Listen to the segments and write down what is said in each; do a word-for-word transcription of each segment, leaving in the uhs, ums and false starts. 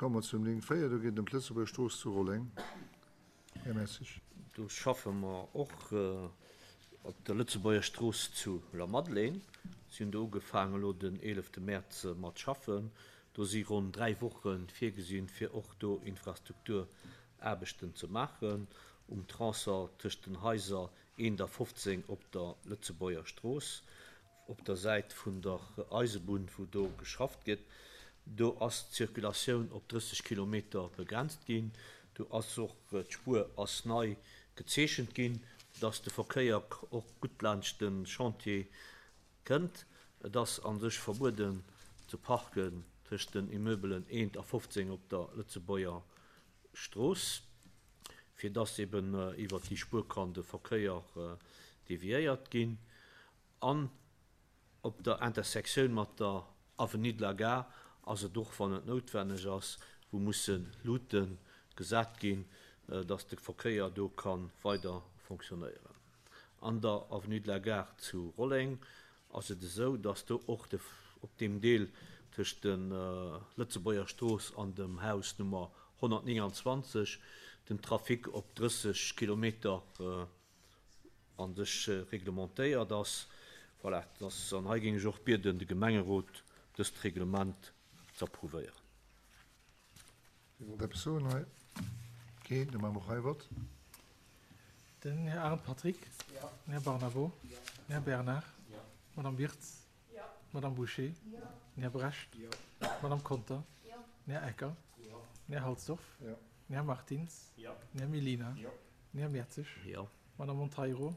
komme mer zum Néng véier, do geet et ëm d'Lëtzebuerger Strooss zu Rolleng. Här Messig. Do schaffe mer och op der Lëtzebuerger Strooss zu Lamadelaine. Si hunn do ugefaangen elo den eelefte Mäerz mat schaffen. Do si ronn dräi Woche virgesinn, fir och do Infrastrukturaarbechten ze maachen um Tronçon tëscht den Haiser eent a fofzéng op der Lëtzebuerger Strooss, op der Säit vun der Eisebunn, wou do geschafft gëtt. Do ass d'Circulatioun op drësseg Kilometer begrenzt ginn. Do ass och d'Spuer ass nei gezeechent ginn, dass de Verkéier och gutt laanscht de Chantier kënnt. Et ass a sech verbueden ze parken tëscht den Immeubelen eent a fofzéng op der Lëtzebuerger Strooss, fir dass eben iwwert déi Spuer kann de Verkéier deviéiert ginn. An op der Intersektioun mat der Avenue de la Gare ass et och, wann et noutwenneg ass, wou musse Luute gesat ginn, dass de Verkéier do ka weider fonctionnéieren. An der Avenue de la Gare zu Rolleng ass et esou, dass do och de, op deem Deel tëscht der Lëtzebuerger Strooss an dem Haus Nummer honnertnénganzwanzeg den Trafic op drësseg Kilometer a sech reglementéiert ass. Voilà, dass, an hei géing ech och bieden, de Gemengerot dëst Reglement ze approuvéieren. Dir wollt eppes soen hei? Keen? Da maache mer och hei e Vott. Den Här Arendt Patrick. Den Här Barnabo. Den Här Bernard. D'Madame Wirtz. D'Madame Bouché. Den Här Brecht. D'Madame Conter. Den Här Ecker. Den Här Halsdorf. Den Här Martins. Den Här Mellina. Den Här Mertzig. D'Madame Monteiro.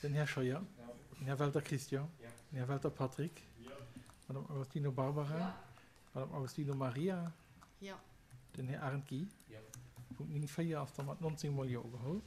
Den Här Scheuer. Den Här Welter Christian. Den Här Welter Patrick. D'Madame Agostino Barbara. D'Madame Agostino Maria. Den Här Arendt Guy. Punkt néng véier ass da mat nonzéng mol Jo ugeholl.